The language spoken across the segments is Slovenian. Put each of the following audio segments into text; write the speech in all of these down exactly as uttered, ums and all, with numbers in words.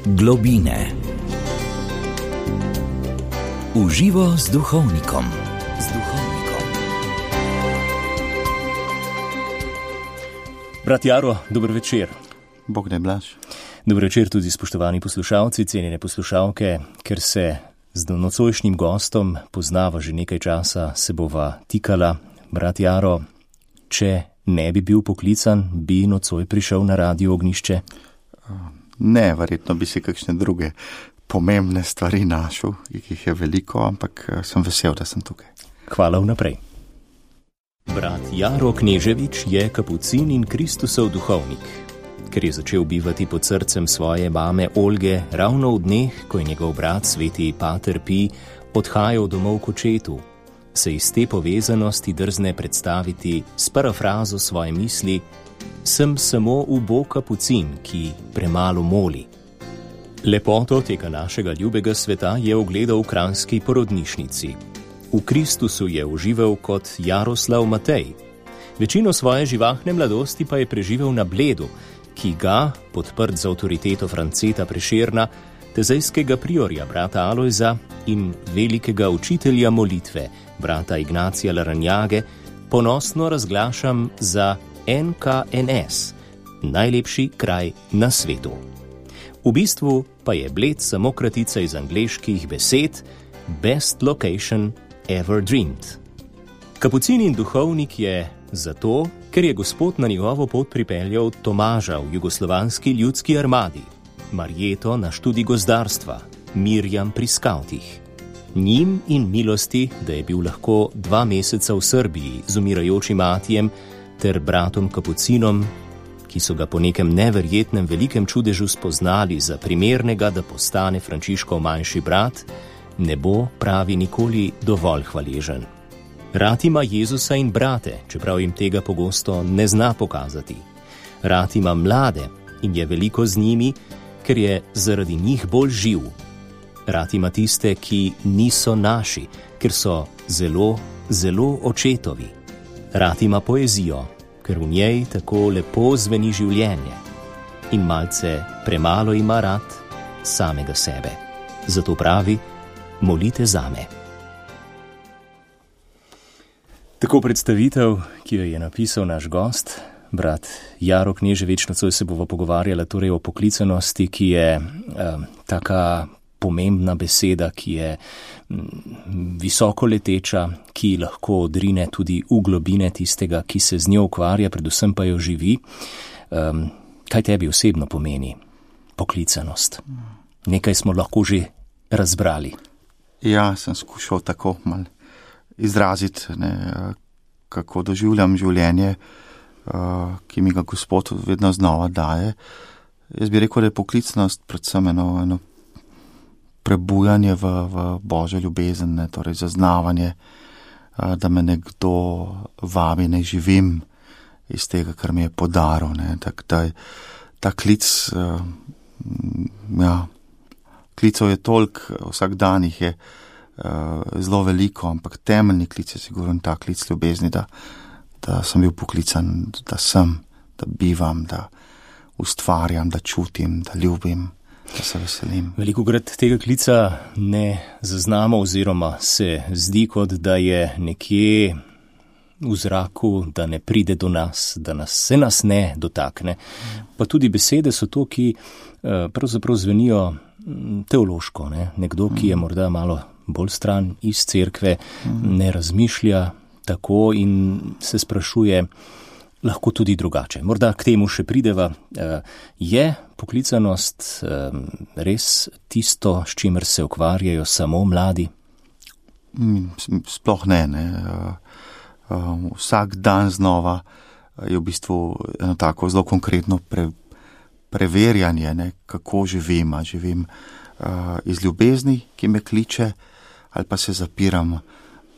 Globine. Uživo z duhovnikom. Z duhovnikom. Brat Jaro, dober večer. Bog ne blaž. Dober večer tudi spoštovani poslušalci, cenjene poslušalke. Ker se z nocojšnjim gostom poznava že nekaj časa, se bova tikala. Brat Jaro, če ne bi bil poklican, bi nocoj prišel na Radio Ognjišče? Ne, verjetno bi si kakšne druge pomembne stvari našel, jih je veliko, ampak sem vesel, da sem tukaj. Hvala vnaprej. Brat Jaro Kneževič je kapucin in Kristusov duhovnik. Ker je začel bivati pod srcem svoje mame Olge ravno v dneh, ko je njegov brat sveti Pater Pij odhajal domov k očetu, se iz te povezanosti drzne predstaviti s parafrazo svoje misli: sem samo ubog kapucin, ki premalo moli. Lepoto tega našega ljubega sveta je ogledal v kranjski porodnišnici. V Kristusu je užival kot Jaroslav Matej. Večino svoje živahne mladosti pa je preživel na Bledu, ki ga, podprt z avtoriteto Franceta Prešerna, tezejskega priorja brata Alojza in velikega učitelja molitve brata Ignacija Laranjage, ponosno razglašam za N K N S, najlepši kraj na svetu. V bistvu pa je Bled samo kratica iz angleških besed Best Location Ever Dreamed. Kapucin in duhovnik je zato, ker je Gospod na njegovo pot pripeljal Tomaža v jugoslovanski ljudski armadi, Marjeto na študij gozdarstva, Mirjam pri skavtih. Njim in milosti, da je bil lahko dva meseca v Srbiji z umirajočim Matijem ter bratom Kapucinom, ki so ga po nekem neverjetnem velikem čudežu spoznali za primernega, da postane Frančiškov manjši brat, ne bo pravi nikoli dovolj hvaležen. Rad ima Jezusa in brate, čeprav jim tega pogosto ne zna pokazati. Rad ima mlade in je veliko z njimi, ker je zaradi njih bolj živ. Rad ima tiste, ki niso naši, ker so zelo, zelo očetovi. Rad ima poezijo, ker v njej tako lepo zveni življenje. In malce premalo ima rad samega sebe. Zato pravi: molite zame. Tako predstavitev, ki jo je napisal naš gost, brat Jaro Kneževič. Nocoj se bova pogovarjala torej o poklicanosti, ki je um, taka pomembna beseda, ki je mm, visoko leteča, ki lahko odrine tudi v globine tistega, ki se z njo ukvarja, predvsem pa jo živi. Um, kaj tebi osebno pomeni poklicanost? Nekaj smo lahko že razbrali. Ja, sem skušal tako mal izraziti, ne, kako doživljam življenje, uh, ki mi ga Gospod vedno znova daje. Jaz bi rekel, da je poklicanost predvsem eno, eno prebujanje v, v Božjo ljubezen, ne, torej zaznavanje, uh, da me nekdo vabi, ne živim iz tega, kar mi je podaril. Ne, tak, ta, ta klic, uh, ja, klicov je toliko, vsak dan jih je uh, zelo veliko, ampak temeljni klic je sigurno ta klic ljubezni, da, da sem bil poklican, da sem, da bivam, da ustvarjam, da čutim, da ljubim, da se veselim. Velikokrat tega klica ne zaznamo oziroma se zdi, kot da je nekje v zraku, da ne pride do nas, da nas, se nas ne dotakne. Pa tudi besede so to, ki uh, pravzaprav zvenijo teološko, ne? Nekdo, ki je morda malo bolj stran iz cerkve, ne razmišlja tako in se sprašuje, lahko tudi drugače. Morda k temu še prideva. Je poklicanost res tisto, s čimer se ukvarjajo samo mladi? Sploh ne, ne. Vsak dan znova je v bistvu eno tako zelo konkretno pre preverjanje, ne, kako živim, a živim uh, iz ljubezni, ki me kliče, ali pa se zapiram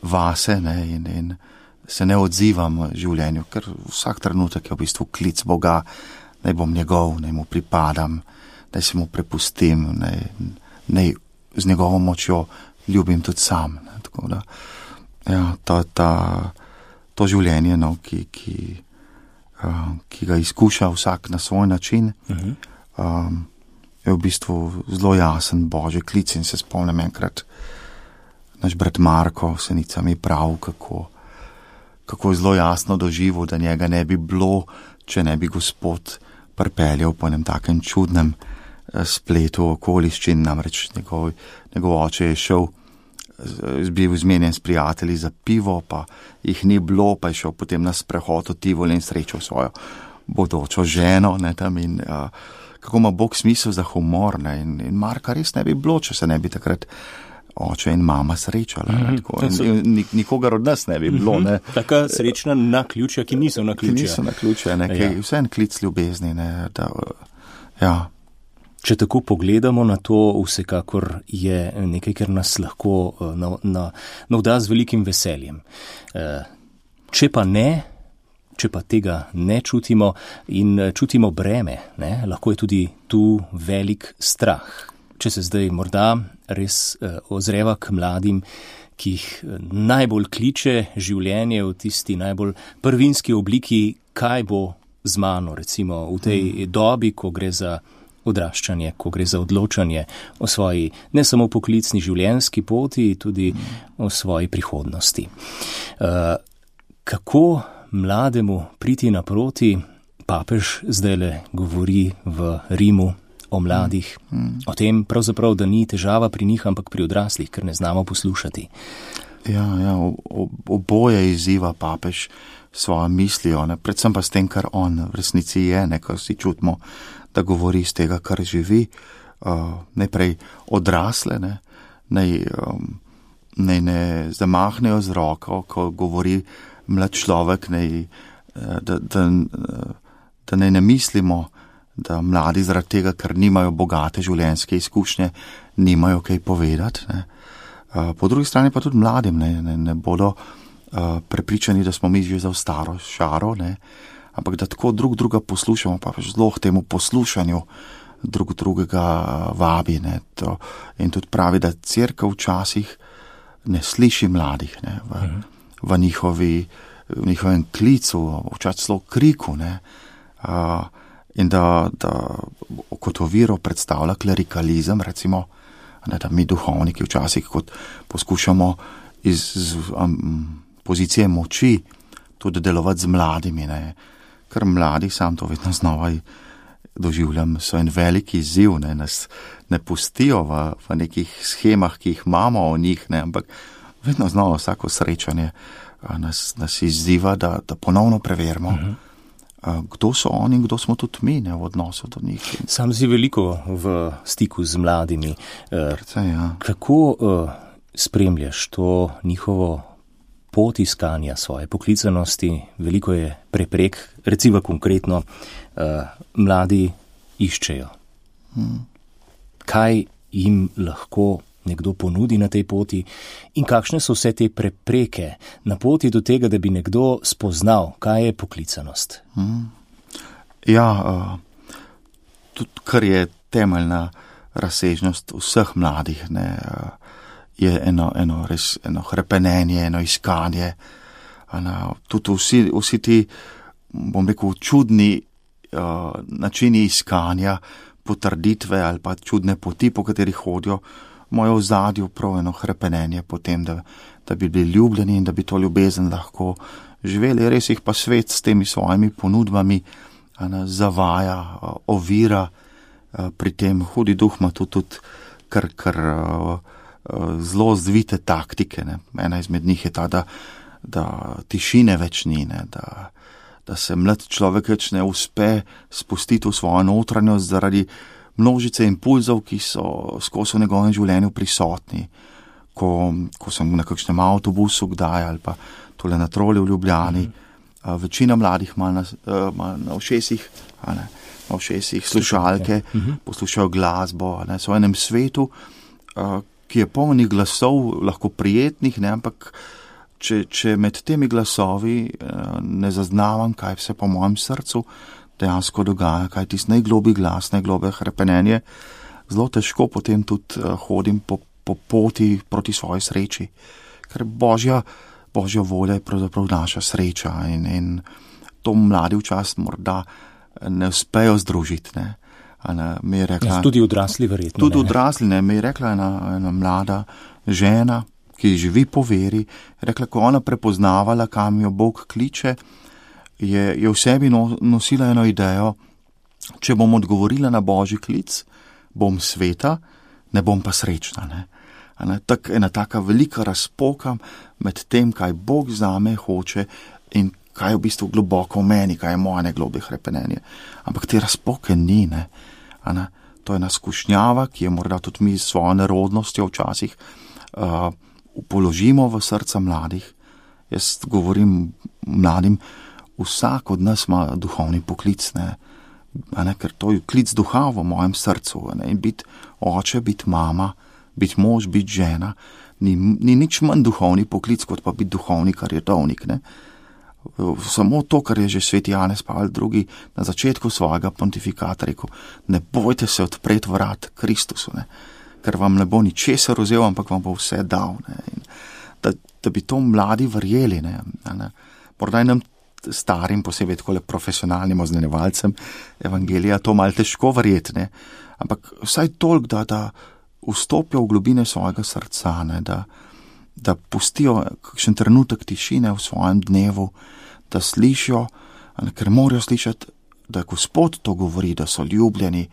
vase, ne, in, in se ne odzivam življenju, ker vsak trenutek je v bistvu klic Boga, naj bom njegov, naj mu pripadam, naj se mu prepustim, naj, naj z njegovo močjo ljubim tudi sam. Ne, tako da, ja, to, ta, to življenje, no, ki, ki ki ga izkuša vsak na svoj način. Uh-huh. Um, je v bistvu zelo jasen Božji klic in se spomnim enkrat, naš brat Marko Senica mi prav, kako, kako je zelo jasno doživel, da njega ne bi bilo, če ne bi Gospod pripeljal po enem takem čudnem spletu okoliščin, namreč njegov, njegov oče je šel, bil zmenjen s prijatelji za pivo, pa jih ni bilo, pa je šel potem na sprehod v Tivoli in srečal svojo bodočo ženo, ne, tam in uh, kako ima Bog smisel za humor, ne, in, in Marka res ne bi bilo, če se ne bi takrat oče in mama srečala, mm-hmm. ne, tako, in, in nikogar od nas ne bi bilo, mm-hmm. ne. Taka srečna naključja, ki niso naključja. Ki niso naključja, ne, ki ja. Vse en klic ljubezni, ne, da, ja. Če tako pogledamo na to, vsekakor je nekaj, kar nas lahko navda z velikim veseljem. Če pa ne, če pa tega ne čutimo in čutimo breme, ne, lahko je tudi tu velik strah. Če se zdaj morda res ozreva k mladim, ki jih najbolj kliče življenje v tisti najbolj prvinski obliki, kaj bo z mano, recimo v tej dobi, ko gre za odraščanje, ko gre za odločanje o svoji ne samo poklicni življenjski poti, tudi o svoji prihodnosti. Uh, kako mlademu priti naproti? Papež zdajle govori v Rimu o mladih, mm. o tem pravzaprav, da ni težava pri njih, ampak pri odraslih, ker ne znamo poslušati. Ja, ja, oboje izziva papež svojo mislijo, ne, predvsem pa s tem, kar on v resnici je, ne, kar si čutimo, da govori iz tega, kar živi, uh, najprej odrasle, ne, naj, um, naj ne zamahnejo z roko, ko govori mlad človek, naj, da, da, da naj ne mislimo, da mladi zaradi tega, ker nimajo bogate življenjske izkušnje, nimajo kaj povedati. Ne. Uh, po drugi strani pa tudi mladim ne, ne, ne bodo uh, prepričani, da smo mi že za staro šaro, ne, ampak da tako drug druga poslušamo, pa zelo k temu poslušanju drug drugega vabi. Ne, to, in tudi pravi, da cerkev včasih ne sliši mladih, ne, v, v, njihovi, v njihovem klicu, včasih celo kriku, ne, uh, in da, da kot oviro predstavlja klerikalizem, recimo, ne, da mi duhovniki včasih kot poskušamo iz, iz um, pozicije moči tudi delovati z mladimi, ne, ker mladi, sam to vedno znova doživljam, so en veliki izziv, ne, nas ne pustijo v, v nekih schemah, ki jih imamo o njih, ne, ampak vedno znova vsako srečanje nas, nas izziva, da, da ponovno preverimo, uh-huh. kdo so oni in kdo smo tudi mi, ne, v odnosu do njih. Sam si veliko v stiku z mladimi. Precej, ja. Kako uh, spremljaš to njihovo pot iskanja svoje poklicanosti? Veliko je preprek, recimo konkretno, uh, mladi iščejo. Hmm. Kaj jim lahko nekdo ponudi na tej poti in kakšne so vse te prepreke na poti do tega, da bi nekdo spoznal, kaj je poklicanost? Hmm. Ja, uh, tudi kar je temeljna razsežnost vseh mladih, ne, uh, je eno, eno res eno hrepenenje, eno iskanje. Eno, tudi vsi, vsi ti, bom rekel, čudni uh, načini iskanja, potrditve ali pa čudne poti, po katerih hodijo, imajo v zadju prav eno hrepenenje potem, da, da bi bili ljubljeni in da bi to ljubezen lahko živeli. Res jih pa svet s temi svojimi ponudbami eno, zavaja, uh, ovira, uh, pri tem hudi duh ima tudi, tudi kar, kar uh, zelo zvite taktike. Ne. Ena izmed njih je ta, da, da tišine več ni, ne, da, da se mlad človek več ne uspe spustiti v svojo notranjost zaradi množice impulzov, ki so skozi v njegovem življenju prisotni. Ko, ko sem na kakšnem avtobusu kdaj ali pa tole na troli v Ljubljani, mm-hmm. večina mladih ima na, ima na ušesih, ne, na ušesih slušalke, mm-hmm. poslušajo glasbo, ne, so v enem svetu, ki je polnih glasov, lahko prijetnih, ne, ampak če, če med temi glasovi ne zaznavam, kaj vse po mojem srcu dejansko dogaja, kaj tisti najglobi glas, najglobe hrepenenje, zelo težko potem tudi hodim po, po poti proti svoji sreči, ker božja, božja volja je pravzaprav naša sreča in, in to mladi včasih morda ne uspejo združiti, ne. Ne, mi je rekla, ja, tudi odrasli verjetno. Tudi odrasli, ne, mi je rekla ena, ena mlada žena, ki živi po veri, rekla, ko ona prepoznavala, kam jo Bog kliče, je, je v sebi no, nosila eno idejo, če bom odgovorila na Božji klic, bom sveta, ne bom pa srečna. Ne. Ne, tak, ena taka velika razpoka med tem, kaj Bog zame hoče in kaj je v bistvu globoko v meni, kaj je moje najglobje hrepenenje. Ampak te razpoke ni, ne. Ne. To je ena skušnjava, ki je morda tudi mi s svojo nerodnostjo včasih uh, položimo v srca mladih. Jaz govorim mladim, vsak od nas ima duhovni poklic, ne. Ne, ker to je klic duha v mojem srcu. Ne. In biti oče, biti mama, biti mož, biti žena, ni, ni nič manj duhovni poklic, kot pa biti duhovnik, kar je redovnik, ne. Samo to, kar je že sveti Janez Pavel drugi na začetku svojega pontifikata rekel, ne bojte se odpreti vrat Kristusu, ne, ker vam ne bo ničesar vzel, ampak vam bo vse dal. Ne, in da, da bi to mladi verjeli, ne, ne. Morda nam starim, posebej takole profesionalnim oznanjevalcem evangelija, to malo težko verjeti, ne, ampak vsaj toliko, da, da vstopijo v globine svojega srca, ne, da da pustijo kakšen trenutek tišine v svojem dnevu, da slišijo, ker morajo slišati, da Gospod to govori, da so ljubljeni,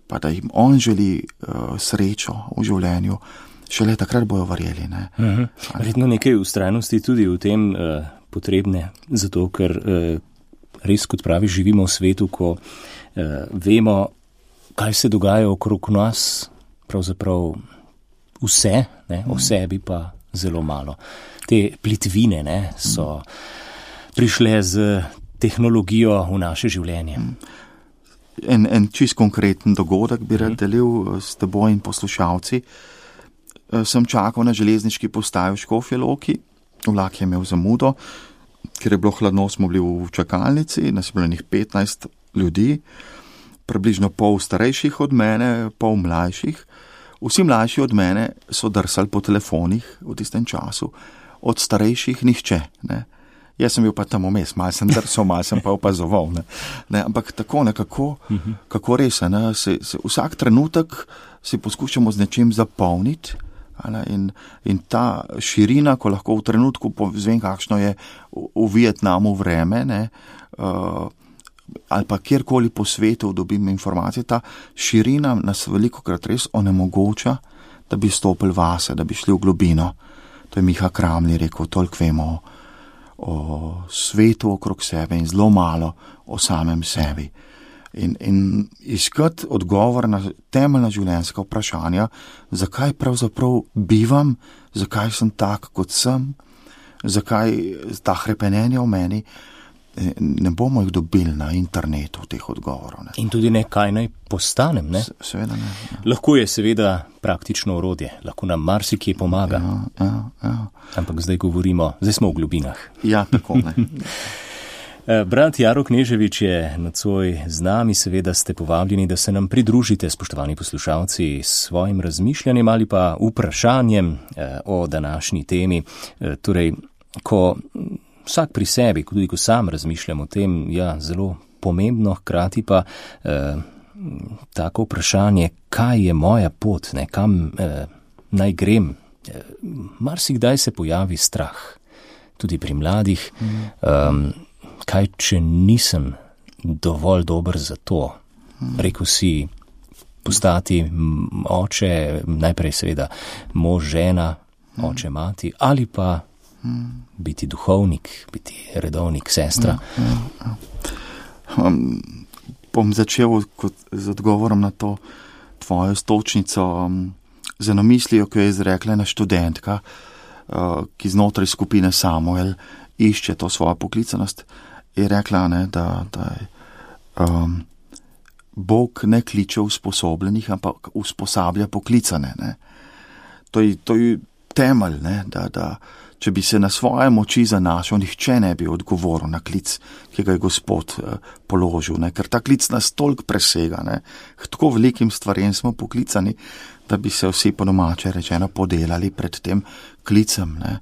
pa da jim On želi uh, srečo v življenju, šele takrat bojo verjeli. Ne? Mhm. Verjetno nekaj ustrajnosti tudi v tem uh, potrebne, zato ker uh, res, kot pravi, živimo v svetu, ko uh, vemo, kaj se dogaja okrog nas, pravzaprav vse, ne, o sebi pa zelo malo. Te plitvine, ne, so prišle z tehnologijo v naše življenje. En, en čist konkreten dogodek bi rad delil s teboj in poslušalci. Sem čakal na železniški postaji v Škofji Loki, vlak je imel zamudo, ker je bilo hladno, smo bili v čakalnici, nas je bilo njih petnajst ljudi, približno pol starejših od mene, pol mlajših. Vsi mlajši od mene so drsali po telefonih v tistem času, od starejših nihče. Ne. Jaz sem bil pa tam vmes, malo sem drsal, malo sem pa opazoval. Ne. Ne, ampak tako nekako, kako res, ne, se, se vsak trenutek si poskušamo z nečim zapolniti, ne, in, in ta širina, ko lahko v trenutku povzvem, kakšno je v, v Vietnamu vreme, ne, uh, ali pa kjerkoli po svetu dobim informacije, ta širina nas veliko krat res onemogoča, da bi stopili vase, da bi šli v globino. To je Miha Kramli rekel, toliko vemo o, o svetu okrog sebe in zelo malo o samem sebi. In, in iskati odgovor na temeljna življenjska vprašanja, zakaj pravzaprav bivam, zakaj sem tak, kot sem, zakaj ta hrepenenja v meni, ne bomo jih dobili na internetu teh odgovorov. Ne. In tudi ne, kaj naj postanem, ne? Se, seveda ne. Ja. Lahko je seveda praktično orodje, lahko nam marsikje pomaga. Ja, ja, ja. Ampak zdaj govorimo, zdaj smo v globinah. Ja, tako ne. Brat Jaro Kneževič je nocoj z nami, seveda ste povabljeni, da se nam pridružite, spoštovani poslušalci, s svojim razmišljanjem ali pa vprašanjem o današnji temi. Torej, ko vsak pri sebi, tudi ko sam razmišljam o tem, ja, zelo pomembno, hkrati pa eh, tako vprašanje, kaj je moja pot, ne, kam eh, naj grem. Eh, marsikdaj se pojavi strah, tudi pri mladih, mm. eh, kaj če nisem dovolj dober za to. Mm. Rekel si, postati oče, najprej seveda mož, žena, mm. oče, mati, ali pa biti duhovnik, biti redovnik, sestra. Ja, ja, ja. Um, bom začel kot, z odgovorom na to tvojo stočnico, um, z eno mislijo, ki je izrekla ena študentka, uh, ki znotraj skupine Samuel išče to svojo poklicanost, je rekla, ne, da, da je, um, Bog ne kliče usposobljenih, ampak usposablja poklicane. Ne. To je, to je temelj, ne, da, da če bi se na svoje moči zanašal, nihče ne bi odgovoril na klic, ki ga je Gospod eh, položil, ne? Ker ta klic nas toliko presega, ne? Tako velikim stvarem smo poklicani, da bi se vsi po domače rečeno podelali pred tem klicem, ne?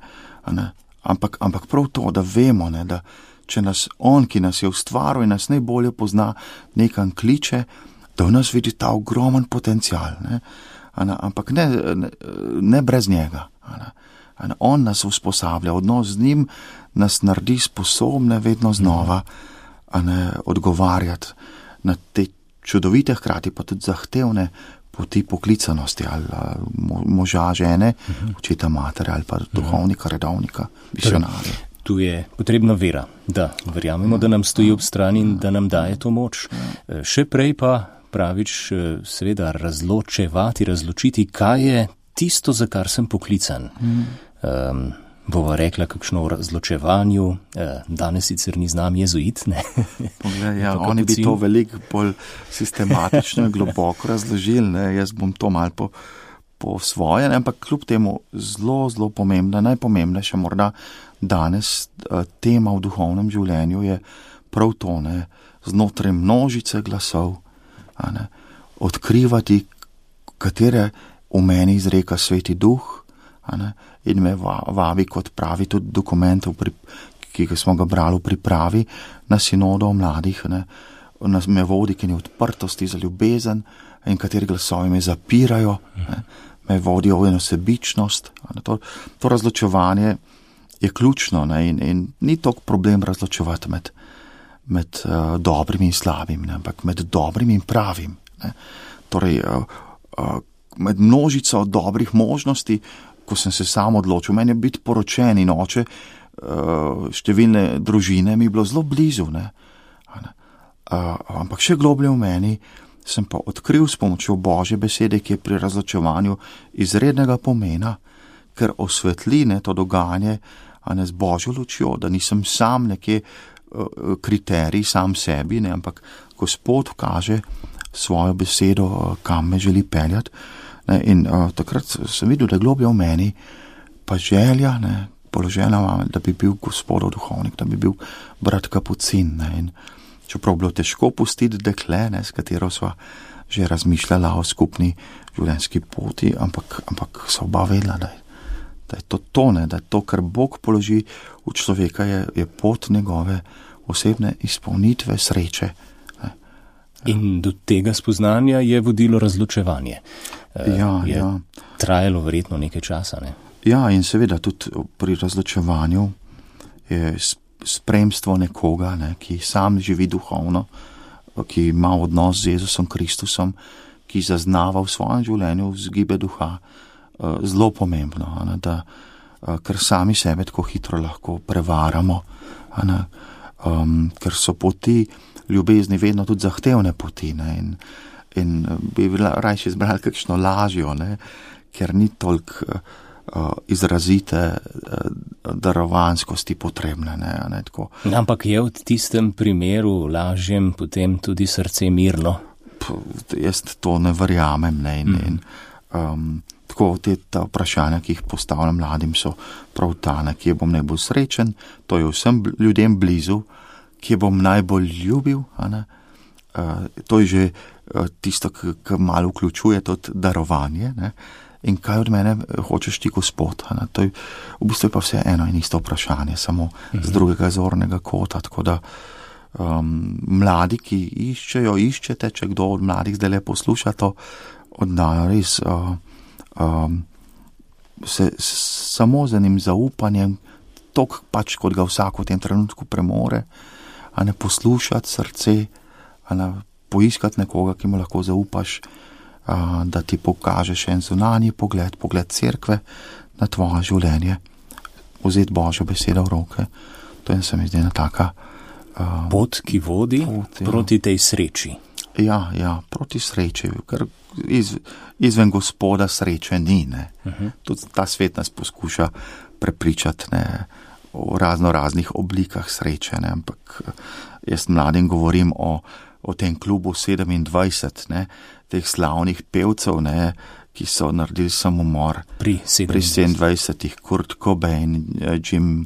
Ne? Ampak, ampak prav to, da vemo, ne? Da če nas On, ki nas je ustvaril in nas najbolje pozna, nekam kliče, da v nas vidi ta ogromen potencial, ne, ne, ampak ne, ne, ne brez njega. Ne, ne, on nas usposablja, odnos z njim nas naredi sposobne vedno znova ne, odgovarjati na te čudovite, hkrati pa tudi zahtevne poti poklicanosti ali moža, žene, očeta, matere ali pa duhovnika, redovnika, misionarja. Tu je potrebna vera, da verjamemo, da nam stoji ob strani in da nam daje to moč. Še prej pa pravič seveda razločevati, razločiti, kaj je tisto, za kar sem poklican. Um, bova rekla kakšno o razločevanju, danes sicer ni znam jezuit, ne? Poglej, ja, oni bi to veliko bolj sistematično in globoko razložili, ne? Jaz bom to malo po, po svoje, ne? Ampak kljub temu zelo, zelo pomembna, najpomembnejša morda danes tema v duhovnem življenju je prav to, ne? Znotraj množice glasov, a ne? Odkrivati, katere v meni izreka Sveti Duh, a ne? In me vabi, kot pravi tudi dokumentov, ki smo ga brali v pripravi na sinodo o mladih, ne, nas me vodi k eni odprtosti za ljubezen in kateri glasovi me zapirajo, ne, me vodijo v eno sebičnost. Ne, to, to razločevanje je ključno, ne, in, in ni toliko problem razločevati med, med uh, dobrim in slabim, ne, ampak med dobrim in pravim. Ne. Torej, uh, uh, med množico dobrih možnosti, ko sem se sam odločil, meni je biti poročen in oče številne družine mi je bilo zelo blizu, ne? Ampak še globlje v meni sem pa odkril s pomočjo Božje besede, ki je pri razločevanju izrednega pomena, ker osvetli to dogajanje, a ne z Božjo lučjo, da nisem sam nekje kriterij sam sebi, ne? Ampak Gospod kaže svojo besedo, kam me želi peljati. Ne, in uh, takrat sem videl, da je globlje v meni pa želja, ne, položena vame, da bi bil Gospodov duhovnik, da bi bil brat Kapucin. Ne, in čeprav bilo težko pustiti dekle, ne, s katero sva že razmišljala o skupni življenjski poti, ampak, ampak so oba vedela, da je, da je to to, ne, da je to, kar Bog položi v človeka, je, je pot njegove osebne izpolnitve, sreče. Ne. In do tega spoznanja je vodilo razločevanje. Ja, je ja. Trajalo verjetno nekaj časa, ne? Ja, in seveda tudi pri razločevanju je spremstvo nekoga, ne, ki sam živi duhovno, ki ima odnos z Jezusom Kristusom, ki zaznava v svojem življenju vzgibe duha, zelo pomembno, ne, da, ker sami sebe tako hitro lahko prevaramo, ne, um, ker so poti ljubezni vedno tudi zahtevne poti, ne, in in bi rajši izbrali kakšno lažjo, ne, ker ni toliko uh, izrazite uh, darovanskosti potrebne. Ne, ne, tako. Ampak je v tistem primeru lažjem potem tudi srce mirno? P, jaz to ne verjamem. Ne, in, mm. in, um, tako te ta vprašanja, ki jih postavljam mladim, so prav ta, ne, kje bom najbolj srečen, to je vsem ljudem blizu, kje bom najbolj ljubil, a ne, uh, to je že tisto, ki malo vključuje tudi darovanje, ne? In kaj od mene hočeš ti, Gospod? Ne? To je, v bistvu je pa vse eno in isto vprašanje, samo mhm. z drugega zornega kota, tako da um, mladi, ki iščejo, iščete, če kdo od mladih zdaj le posluša to, oddajo res uh, um, se s, samo z enim zaupanjem, tok pač, kot ga vsak v tem trenutku premore, a ne poslušati srce, a ne poiskati nekoga, ki mu lahko zaupaš, a, da ti pokaže še en zunanji pogled, pogled cerkve na tvoje življenje, vzeti Božjo besedo v roke. To je se mi zdi ena taka a, pot, ki vodi pot, ja. Proti tej sreči. Ja, ja, proti sreči, ker iz, izven Gospoda sreče ni. Ne. Uh-huh. Tudi ta svet nas poskuša prepričati, ne, o razno raznih oblikah sreče, ne, ampak jaz mladim govorim o o tem klubu sedemindvajset, ne, teh slavnih pevcev, ne, ki so naredili samomor pri sedemindvajsetih, Kurt Cobain, Jim,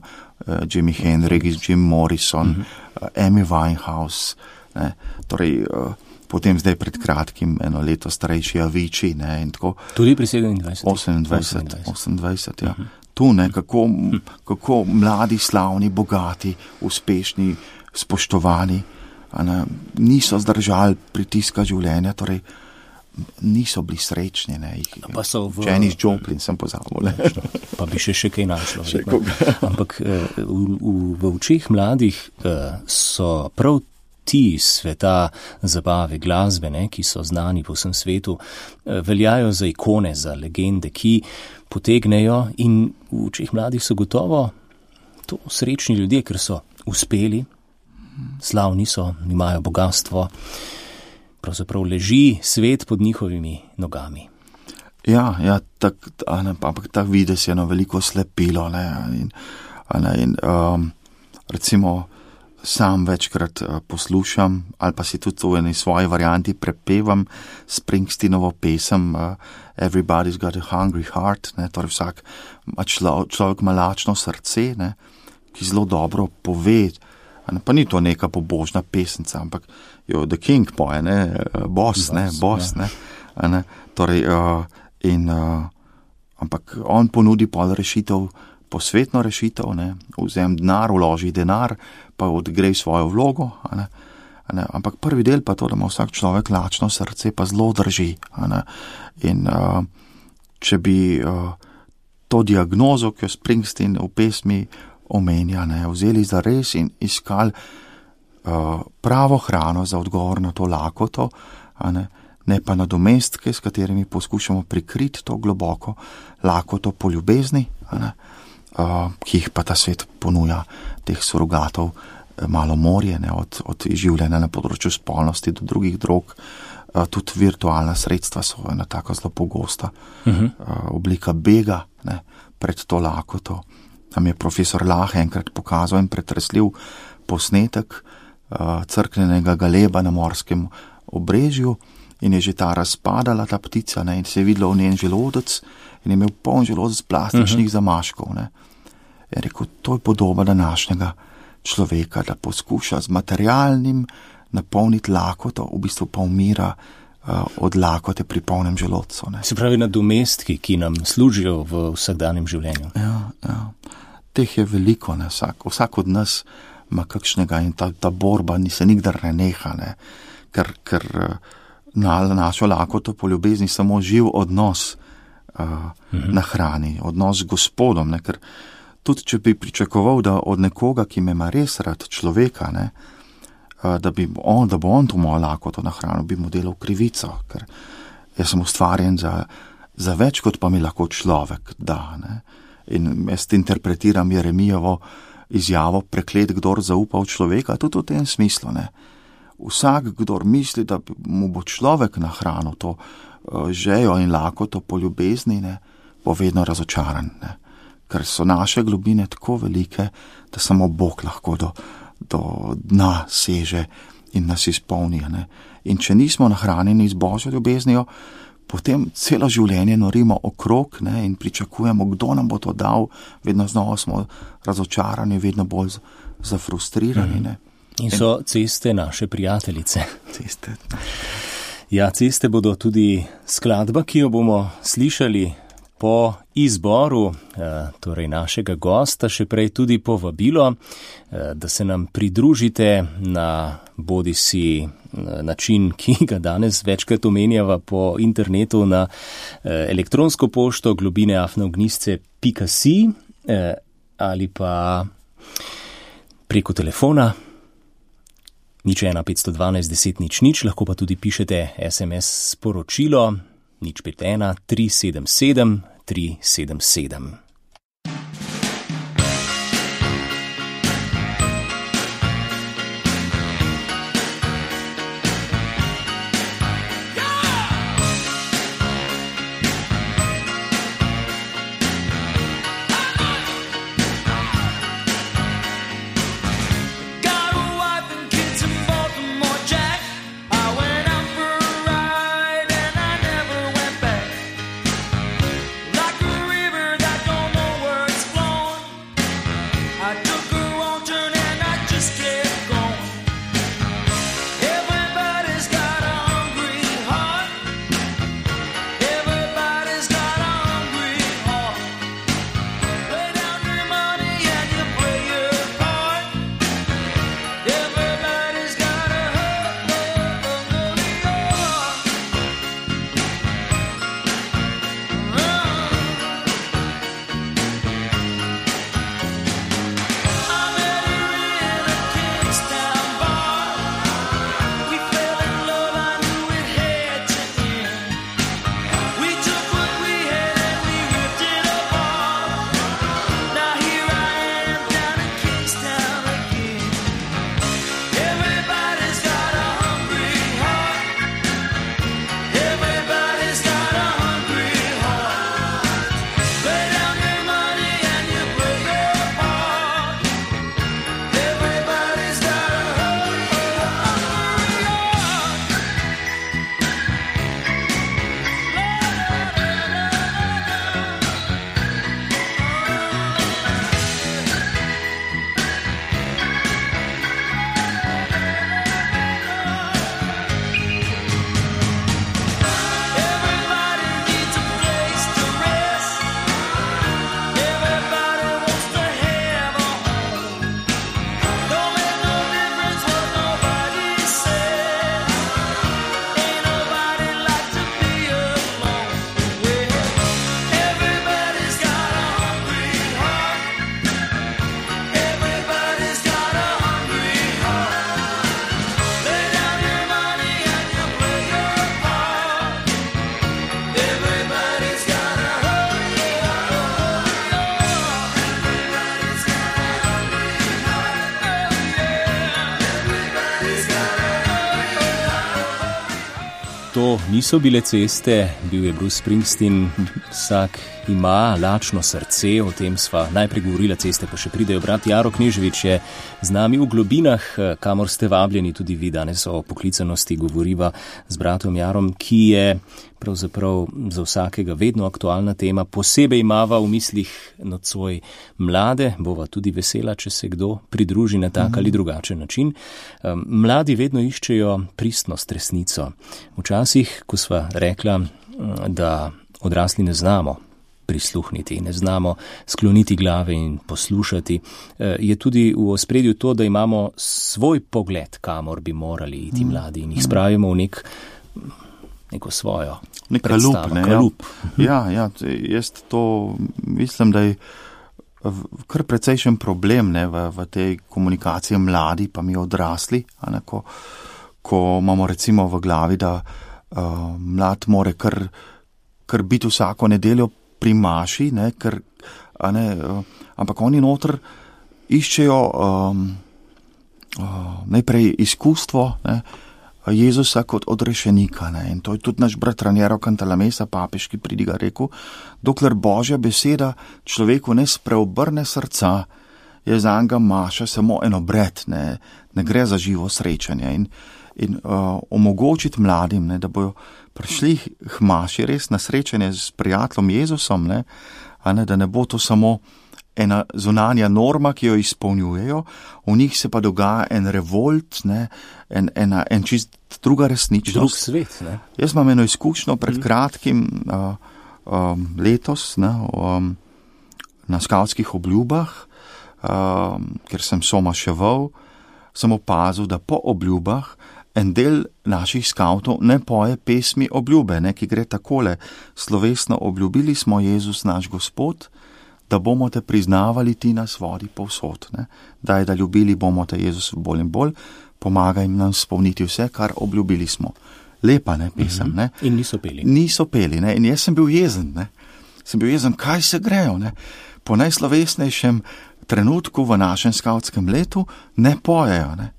uh, Jimi Hendrix, Jim Morrison, uh-huh. uh, Amy Winehouse, ne, torej uh, potem zdaj pred kratkim eno leto starejši Avicii, ne, in tako. Tudi pri sedemindvajsetih? osemindvajset, osemindvajset, ja. Uh-huh. Tu, ne, kako, uh-huh. kako mladi, slavni, bogati, uspešni, spoštovani, ne, niso zdržali pritiska življenja, torej niso bili srečni. Ne, jih, pa so v... Janis Joplin sem pozabil. Pa bi še še kaj našlo. Ampak v, v, v očeh mladih so prav ti sveta zabave, glasbe, ne, ki so znani po vsem svetu, veljajo za ikone, za legende, ki potegnejo in v očeh mladih so gotovo to srečni ljudje, ker so uspeli, slavni so, imajo bogatstvo, pravzaprav leži svet pod njihovimi nogami. Ja, ja, tak, ampak tak videz je eno veliko slepilo, ne, in, ne, in um, recimo sam večkrat uh, poslušam ali pa si tudi v eni svoji varianti prepevam Springsteenovo pesem uh, Everybody's got a hungry heart, ne, torej vsak člo, človek ima lačno srce, ne, ki zelo dobro pove, ne, pa ni to neka pobožna pesenca, ampak jo The King poje, ne, boss, ne, boss, ja. ne, ne, torej uh, in uh, ampak on ponudi pol rešitev, posvetno rešitev, ne, vzem denar, vloži denar, pa odgrej svojo vlogo, ne, ne, ampak prvi del pa to, da ima vsak človek lačno srce, pa zelo drži, ne, in uh, če bi uh, to diagnozo, ki jo Springsteen v pesmi omenja, ne, vzeli za res in iskali uh, pravo hrano za odgovor na to lakoto, ne, ne pa nadomestke, s katerimi poskušamo prikriti to globoko lakoto po ljubezni, ne, Uh, ki jih pa ta svet ponuja, teh surogatov, malo morje, ne, od, od življenja na področju spolnosti do drugih drog, uh, tudi virtualna sredstva so ena tako zelo pogosta uh-huh. uh, oblika bega, ne, pred to lakoto. Nam je profesor Lahe enkrat pokazal in pretresljiv posnetek uh, crknenega galeba na morskem obrežju in je že ta razpadala, ta ptica, ne, in se je videlo v njen želodec in je imel poln želodec plastičnih uh-huh. zamaškov, ne. Je rekel, to je podoba današnjega človeka, da poskuša z materialnim napolniti lakoto, v bistvu pa umira uh, od lakote pri polnem želodcu. Ne. Se pravi nadomestki, ki nam služijo v vsakdanjem življenju. Ja, ja. Teh je veliko, ne, vsak, vsak od nas ima kakšnega in ta, ta borba ni se nikdar ne neha, ne, ker, ker na našo lakoto po ljubezni samo živ odnos uh, mhm. na hrani, odnos z Gospodom, ne, ker tudi če bi pričakoval, da od nekoga, ki me ima res rad, človeka, ne, da, bi on, da bo on to mojo lakoto na hrano, bi mu delal krivico, ker jaz sem ustvarjen za, za več, kot pa mi lahko človek da. Ne. In jaz interpretiram Jeremijevo izjavo, preklet, kdor zaupa v človeka, tudi v tem smislu. Ne. Vsak, kdor misli, da mu bo človek na hrano to uh, žejo in lakoto po ljubezni, ne, bo vedno razočaran. Ne. Ker so naše globine tako velike, da samo Bog lahko do, do dna seže in nas izpolni. Ne? In če nismo nahranjeni z Božjo ljubeznijo, potem celo življenje norimo okrog, ne, in pričakujemo, kdo nam bo to dal, vedno znova smo razočarani, vedno bolj zafrustrirani. Ne? In so ceste naše prijateljice. Ceste. Ja, ceste bodo tudi skladba, ki jo bomo slišali po izboru, torej našega gosta, še prej tudi povabilo, da se nam pridružite na bodisi način, ki ga danes večkrat omenjava po internetu na elektronsko pošto globine afna ognjisce pika si ali pa preko telefona nič ena petsto dvanajst deset nič nič, lahko pa tudi pišete es em es sporočilo nič pet ena tri sedem sedem tri sedem sedem. Like a river that don't to niso bile ceste, bil je Bruce Springsteen, vsak ima lačno srce, o tem sva najprej govorila, ceste pa še pridejo. Brat Jaro Kneževič je z nami v globinah, kamor ste vabljeni tudi vi. Danes o poklicanosti govoriva z bratom Jarom, ki je pravzaprav za vsakega vedno aktualna tema. Posebej imava v mislih nocoj mlade, bova tudi vesela, če se kdo pridruži na tak ali drugačen način. Mladi vedno iščejo pristnost, resnico. Včasih, ko sva rekla, da odrasli ne znamo prisluhniti, ne znamo skloniti glave in poslušati, je tudi v ospredju to, da imamo svoj pogled, kamor bi morali iti mladi in jih spravimo v nek, neko svojo nek predstavo. Kalup, ne, kalup. Ja, ja, jaz to mislim, da je kar precejšen problem, ne, v, v tej komunikaciji mladi, pa mi odrasli, a ne, ko, ko imamo recimo v glavi, da uh, mlad more kar, kar biti vsako nedeljo pri maši, ne, ker, a ne, uh, ampak oni noter iščejo um, uh, najprej izkustvo, ne, Jezusa kot odrešenika, ne, in to je tudi naš brat Raniero Cantalamessa, papeški pridigar, rekel, dokler Božja beseda človeku ne spreobrne srca, je zanga maša samo en obred, ne, ne gre za živo srečanje in, in uh, omogočiti mladim, ne, da bojo prišli k maši res na srečanje s prijateljem Jezusom, ne, a ne, da ne bo to samo ena zunanja norma, ki jo izpolnjujejo, v njih se pa dogaja en revolt, ne, en, ena, en čist druga resničnost. Drug svet, ne? Jaz imam eno izkušnjo pred kratkim uh, um, letos, ne, um, na skavtskih obljubah, um, ker sem somaševal, sem opazil, da po obljubah en del naših skavtov ne poje pesmi obljube, ne, ki gre takole: slovesno obljubili smo Jezus naš Gospod, da bomo te priznavali ti nas vodi povsod. Ne. Daj, da ljubili bomo te Jezus bolj in bolj, pomagaj nam spolniti vse, kar obljubili smo. Lepa, ne, pesem, ne. In niso peli. Niso peli, ne, in jaz sem bil jezen, ne. Sem bil jezen, kaj se grejo, ne. Po najslovesnejšem trenutku v našem skavtskem letu ne pojejo, ne.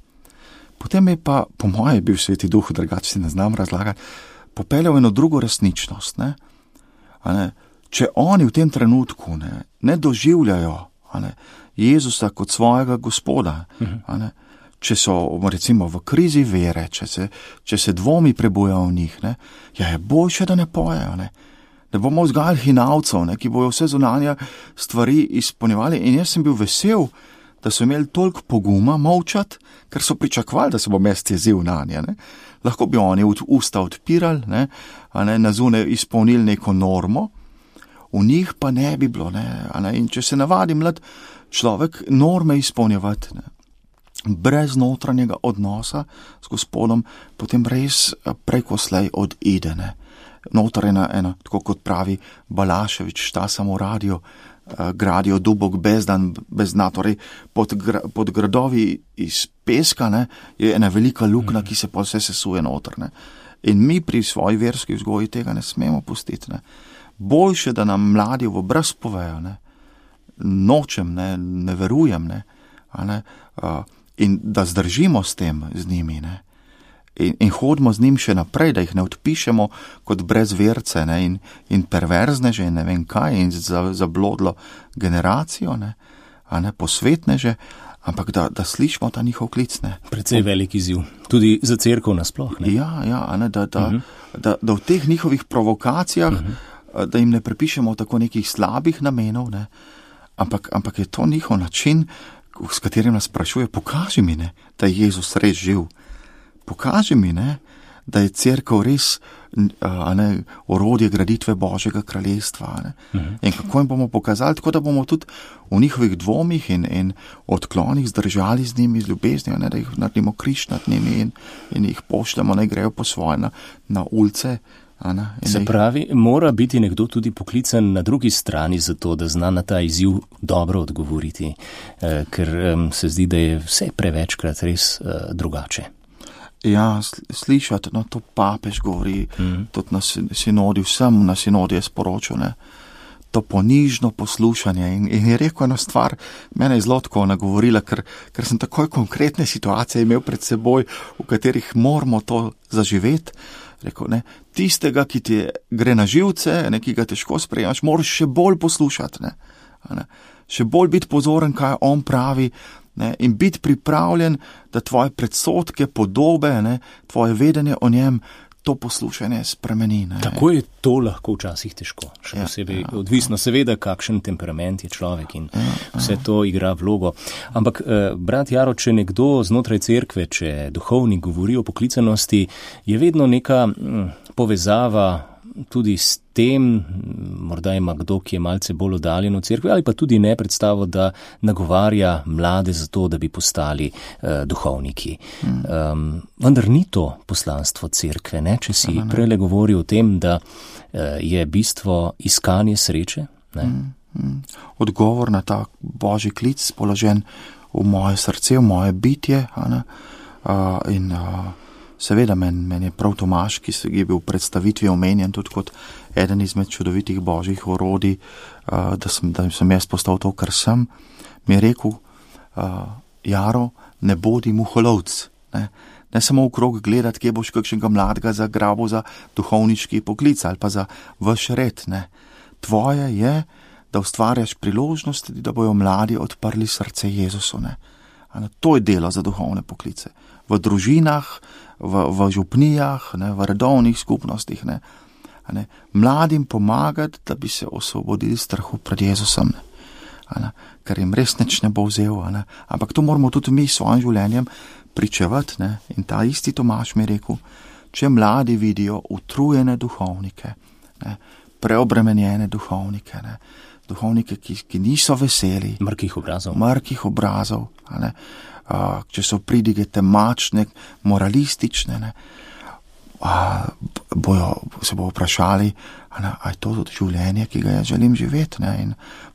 Potem je pa, po moje, bil Sveti Duh, drugače si ne znam razlagati, popeljal eno drugo resničnost, ne. A ne, če oni v tem trenutku ne, ne doživljajo, a ne, Jezusa kot svojega Gospoda, a ne, če so recimo v krizi vere, če se, če se dvomi prebujajo v njih, ne, ja, je boljše, da ne pojejo, ne. Ne bomo vzgajali hinavcev, ne, ki bojo vse zunanje stvari izpolnjevali, in jaz sem bil vesel, da so imeli toliko poguma molčati, ker so pričakovali, da se bo mest jezil nanje, ne. Lahko bi oni usta odpirali, ne, a ne, na zunaj izpolnili neko normo, v njih pa ne bi bilo, ne, a ne, in če se navadi mlad človek norme izpolnjevati, ne, brez notranjega odnosa s Gospodom, potem res preko slej odide, ne. Notar ena, ena, tako kot pravi Balaševič, šta samo radio, uh, gradijo dubok bezdan, bezna, torej pod, gra, pod gradovi iz peska, ne, je ena velika luknja, ki se pa vse sesuje noter, ne. In mi pri svoji verski vzgoji tega ne smemo pustiti, ne. Boljše, da nam mladi v obraz povejo, ne, nočem, ne, ne verujem, ne, a ne, uh, in da zdržimo s tem z njimi, ne, in, in hodimo z njim še naprej, da jih ne odpišemo kot brezverce, ne, in, in perverzneže, ne vem kaj, in za, zablodlo generacijo, ne, a ne, posvetneže, ampak da, da slišimo ta njihov klic, ne. Precej velik izziv, tudi za cerkev nasploh, ne. Ja, ja, a ne, da, da, uh-huh. da, da v teh njihovih provokacijah uh-huh. da jim ne prepišemo tako nekih slabih namenov, ne, ampak, ampak je to njihov način, s katerim nas sprašuje, pokaži mi, ne, da je Jezus res živ. Pokaži mi, ne, da je cerkev res a ne, orodje graditve Božjega kraljestva. Ne. Uh-huh. In kako jim bomo pokazali, tako da bomo tudi v njihovih dvomih in, in odklonih zdržali z njimi, z ljubeznijo, ne, da jih naredimo križ nad njimi in, in jih pošljemo, naj grejo po svoje na, na ulice. Ana, Se pravi, mora biti nekdo tudi poklican na drugi strani za to, da zna na ta izziv dobro odgovoriti, eh, ker eh, se zdi, da je vse prevečkrat res eh, drugače. Ja, slišati, no, to papež govori, mm. tudi na sinodi, vsem na sinodi je sporočil, ne, to ponižno poslušanje in, in je rekel eno stvar, mene je zelo tako nagovorila, ker, ker sem takoj konkretne situacije imel pred seboj, v katerih moramo to zaživeti. Rekel, ne, tistega, ki ti gre na živce, ne, ki ga težko sprejemaš, moraš še bolj poslušati, ne, ne, še bolj biti pozoren, kaj on pravi, ne, in biti pripravljen, da tvoje predsodke, podobe, ne, tvoje vedenje o njem, to poslušanje spremeni. Ne. Tako je to lahko včasih težko, še Ja, posebej ja, odvisno seveda, kakšen temperament je človek in Ja, vse to igra vlogo. Ampak, eh, brat Jaro, če nekdo znotraj cerkve, če duhovnik govori o poklicanosti, je vedno neka hm, povezava tudi s tem, morda ima kdo, ki je malce bolj oddaljen od cerkve, ali pa tudi ne predstavo, da nagovarja mlade za to, da bi postali uh, duhovniki. Mm. Um, vendar ni to poslanstvo cerkve, ne? Če si prele govoril o tem, da uh, je bistvo iskanje sreče. Ne? Mm, mm. Odgovor na ta božji klic položen v moje srce, v moje bitje, a ne? Uh, in uh, seveda meni men je prav Tomaž, ki je bil v predstavitvi omenjen tudi kot eden izmed čudovitih božjih orodij, uh, da, sem, da sem jaz postal to, kar sem, mi je rekel, uh, Jaro, ne bodi muholovc, ne, ne samo v krog gledati, kje boš kakšnega mladega zagrabil za duhovniški poklic ali pa za vaš red, ne. Tvoje je, da ustvarjaš priložnosti, da bojo mladi odprli srce Jezusu, ne. Ne, to je delo za duhovne poklice. V družinah, v, v župnijah, ne, v redovnih skupnostih, ne, ne, mladim pomagati, da bi se osvobodili strahu pred Jezusom, ne, ne, ker jim res nič ne bo vzel, ne, ampak to moramo tudi mi s svojim življenjem pričevati, ne, in ta isti Tomaž mi je rekel, če mladi vidijo utrujene duhovnike, ne, preobremenjene duhovnike, ne, duhovnike, ki, ki niso veseli, mrkih obrazov, mrkih obrazov, ne, Uh, če so pridige temačne, moralistične, ne, uh, bojo, se bo vprašali, a je to tudi življenje, ki ga jaz želim živeti, ne, in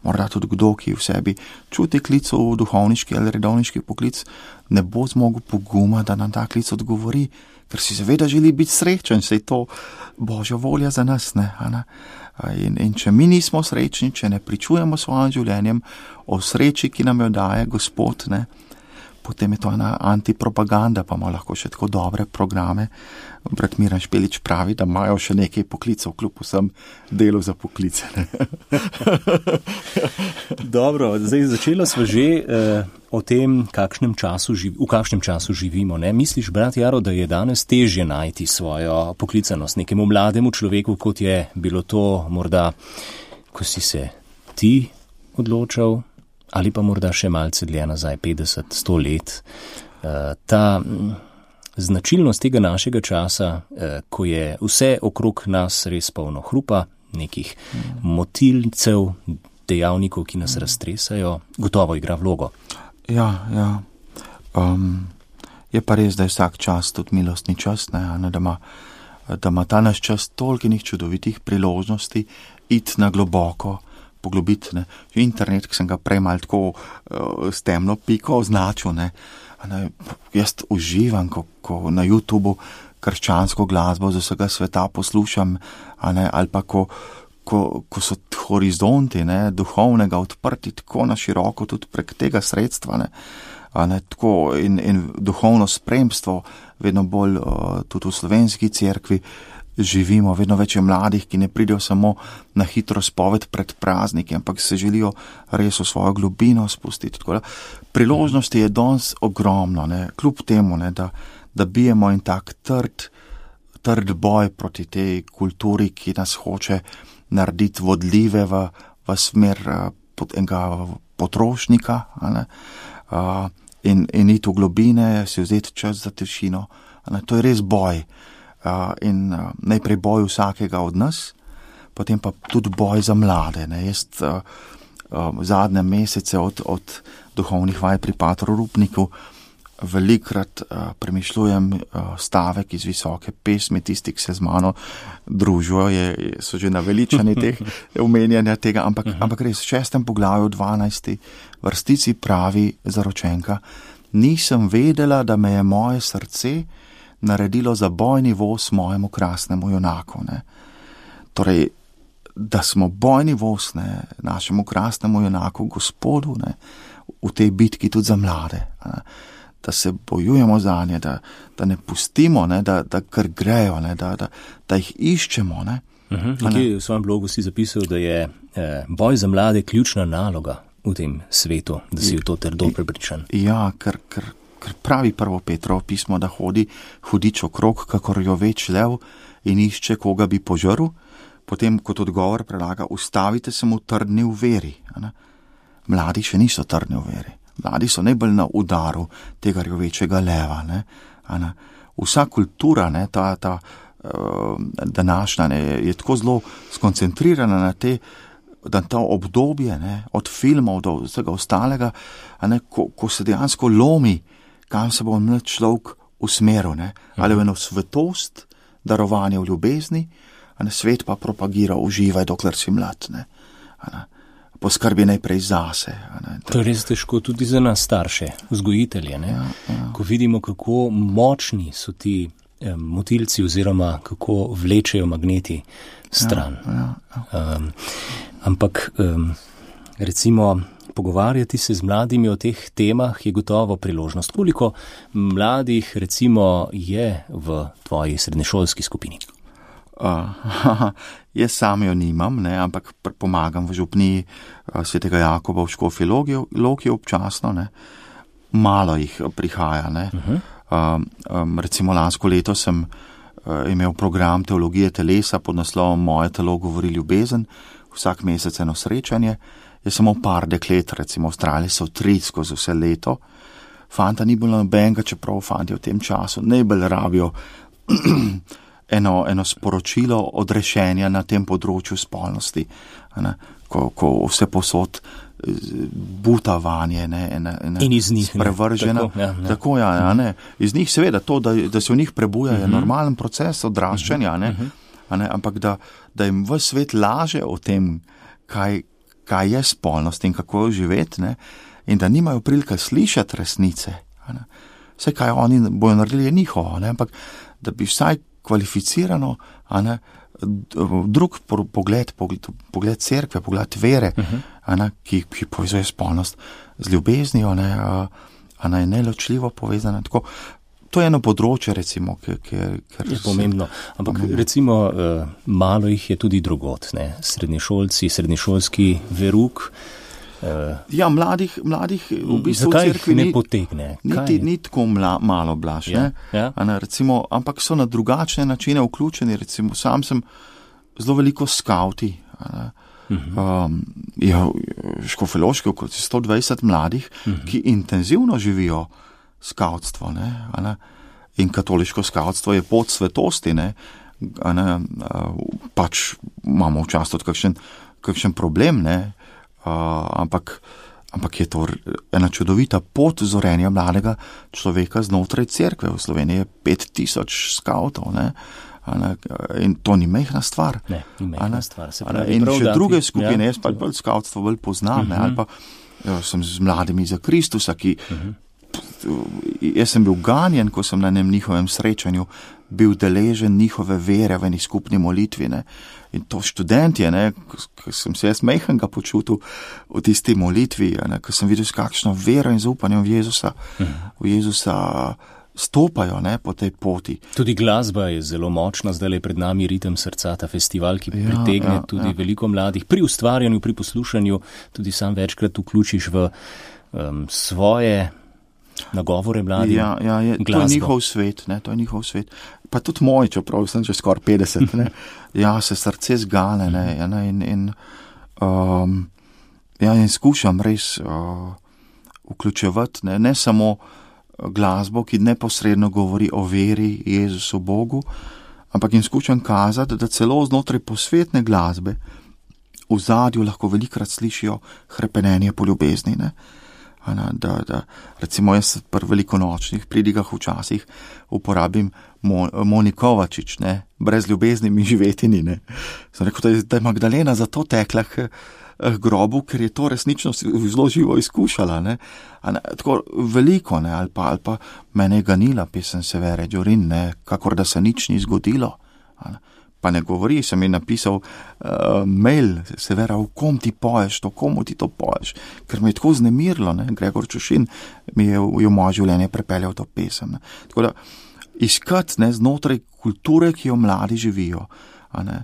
morda tudi kdo, ki v sebi čuti klic v duhovniški ali redovniški poklic, ne bo zmogel poguma, da nam ta klic odgovori, ker si seveda želi biti srečen, saj to božja volja za nas, ne, a ne. In, in če mi nismo srečni, če ne pričujemo svojim življenjem o sreči, ki nam jo daje Gospod, ne, potem je to ena antipropaganda, pa ima lahko še tako dobre programe. Brat Miran Špelič pravi, da imajo še nekaj poklicov, kljub vsem delu za poklice. Dobro, zdaj začelo smo že eh, o tem, kakšnem času živ, v kakšnem času živimo. Ne? Misliš, brat Jaro, da je danes težje najti svojo poklicanost nekemu mlademu človeku, kot je bilo to morda, ko si se ti odločal, ali pa morda še malce dlje nazaj, petdeset, sto let. Ta značilnost tega našega časa, ko je vse okrog nas res polno hrupa, nekih motilcev, dejavnikov, ki nas raztresajo, gotovo igra vlogo. Ja, ja. Um, je pa res, da je vsak čas tudi milostni čas, ne, da ima, da ima ta naš čas tolkinih čudovitih priložnosti iti na globoko, poglobiti, ne. Internet, ki sem ga prej mal tako uh, s temno piko označil, ne. Ne, jaz uživam, ko, ko na YouTubu krščansko glasbo z vsega sveta poslušam, a ne, ali pa ko, ko, ko so horizonti, ne, duhovnega odprti tako na široko tudi prek tega sredstva, ne, a ne, tako in, in duhovno spremstvo vedno bolj uh, tudi v slovenski cerkvi živimo, vedno več je mladih, ki ne pridejo samo na hitro spoved pred prazniki, ampak se želijo res v svojo globino spustiti. Tako da priložnosti je danes ogromno, ne, kljub temu, ne, da, da bijemo in tak trd, trd boj proti tej kulturi, ki nas hoče narediti vodljive v, v smer pod enega potrošnika, ne, uh, in, in iti v globine, si vzeti čas za tišino. Ne, to je res boj. Uh, in uh, najprej boj vsakega od nas, potem pa tudi boj za mlade. Ne. Jaz uh, uh, zadnje mesece od, od duhovnih vaj pri patru Rupniku velikrat uh, premišljujem uh, stavek iz visoke pesmi, tisti, ki se z mano družijo, je, so že naveličani teh omenjanja tega, ampak, uh-huh. ampak res v šestem poglavju dvanajsti vrstici pravi zaročenka, nisem vedela, da me je moje srce naredilo za bojni voz mojemu krasnemu junaku. Ne. Torej, da smo bojni voz, ne, našemu krasnemu junaku, Gospodu, ne, v tej bitki tudi za mlade. Ne. da se bojujemo za nje, da, da ne pustimo, ne, da, da kar grejo, ne, da, da, da jih iščemo. Ne. Uh-huh. Nekje v svojem blogu si zapisal, da je eh, boj za mlade ključna naloga v tem svetu, da si v to trdo prepričan. Ja, ker, ker, ker pravi prvo Petrovo pismo, da hodi hudič okrog, kakor joveč lev in išče, koga bi požrl, potem kot odgovor prelaga, ustavite se mu trdni v veri. Ne. Mladi še niso trdni v veri. Mladi so najbolj na udaru tega jovečega leva. Ne. Ne. Vsa kultura, ne, ta, ta uh, današnja, ne, je tako zelo skoncentrirana na te, da to obdobje, ne, od filmov do vsega ostalega, ne, ko, ko se dejansko lomi, kam se bo mlad človek usmeril, ne, ali v eno svetost, darovanje v ljubezni, a ne, svet pa propagira, uživaj, dokler si mlad, ne, a ne, poskrbi najprej zase. A ne, to je res težko tudi za nas starše, vzgojitelje, ne, ja, ja. Ko vidimo, kako močni so ti eh, motilci oziroma kako vlečejo magneti stran. Ja, ja, ja. Um, ampak um, recimo pogovarjati se z mladimi o teh temah je gotovo priložnost. Koliko mladih recimo je v tvoji srednješolski skupini? Uh, jaz sam jo nimam, ne, ampak pomagam v župniji uh, svetega Jakoba v Škofji Loki občasno, ne. Malo jih prihaja, ne. Uh-huh. Um, um, recimo lansko leto sem uh, imel program teologije telesa pod naslovom Moje telo govori ljubezen, vsak mesec eno srečanje. Jaz samo par deklet, recimo Avstraliji so tri skozi vse leto. Fanta ni bilo nobenega, čeprav fanti v tem času najbolj rabijo eno, eno sporočilo odrešenja na tem področju spolnosti, ne, ko, ko vse posod buta vanje, ne, ne, ne, in iz njih sprevržena. Tako, ja, tako ja, ja, ne. Iz njih seveda to, da, da se v njih prebuja, je uh-huh. normalen proces odraščanja, ne, uh-huh. ne, ampak da, da jim v svet laže o tem, kaj, kaj je spolnost in kako jo živeti, ne, in da nimajo prilike slišati resnice. Ne. Vse, kaj oni bojo naredili, je njihovo, ne, ampak da bi vsaj kvalificirano, a ne, drug pogled, pogled, pogled cerkve, pogled vere, uh-huh. a ne, ki, ki povezuje spolnost z ljubeznijo, ne, a, a ne, neločljivo povezana. Tako, to je eno področje, recimo, ki, ki, ki je pomembno. Ampak pomembno. Recimo, uh, malo jih je tudi drugot, ne, srednješolci, srednješolski veruk. Uh, ja, mladih, mladih v bistvu zakaj v cerkvi ne ni, potegne? Niti, ni tako mla, malo blaž, ja, ne? Ja. Ne, recimo, ampak so na drugačne načine vključeni, recimo, sam sem zelo veliko skauti, uh-huh. um, ja, škofeloški, okoli sto dvajset mladih, uh-huh. ki intenzivno živijo skautstvo, ne, ne, in katoliško skautstvo je pot svetosti, ne, ne, pač imamo včasih tudi kakšen, kakšen problem, ne, Uh, ampak, ampak je to ena čudovita pot zorenja mladega človeka znotraj cerkve. V Sloveniji je pet tisoč skautov, ne? Ne? In to ni mehna stvar. Ne, ni mehna stvar. Se pravi, in prav, še da, druge ti, skupine, ja, jaz pa bolj skautstvo bolj poznam, uh-huh. ne? Ali pa jo, sem z mladimi za Kristusa, ki uh-huh. jaz sem bil ganjen, ko sem na enem njihovem srečanju bil deležen njihove vere v eni skupni molitvi, ne. In to študentje, ne, ko sem se jaz mehenga počutil v tisti molitvi, ne, ko sem videl, s kakšno vero in zaupanjem v Jezusa, uh-huh. v Jezusa stopajo, ne, po tej poti. Tudi glasba je zelo močna, zdaj je pred nami Ritem srca, ta festival, ki ja, pritegne ja, tudi ja. veliko mladih. Pri ustvarjanju, pri poslušanju, tudi sam večkrat vključiš v um, svoje nagovore mladim. Ja, ja, je, to je njihov svet, ne, to je njihov svet. Pa tudi moj, čeprav sem že skoraj petdeset, ne. Ja, se srce zgane, ne, ja, ne, in, in, um, ja, in skušam res uh, vključevati, ne, ne samo glasbo, ki neposredno govori o veri Jezusu Bogu, ampak in skušam kazati, da celo znotraj posvetne glasbe v zadju lahko velikrat slišijo hrepenenje po ljubezni, ne. Da, da, recimo jaz pri velikonočnih pridigah včasih uporabim Mo, Monikovačič, ne, brez ljubezni mi živeti ni, ne. Sem rekel, da je Magdalena zato tekla k, k grobu, ker je to resnično zelo živo izkušala, ne. ne tako veliko, ne, ali pa, ali pa mene je ganila pesem Severe Džorin, ne, kakor da se nič ni zgodilo. Pa ne govori, sem ji napisal uh, mail, seveda, v kom ti poješ to, komu ti to poješ, ker me je tako znemirilo, ne, Gregor Čušin mi je v, v moje življenje prepeljal to pesem, ne. Tako da, iskati, ne, znotraj kulture, ki jo mladi živijo, a ne,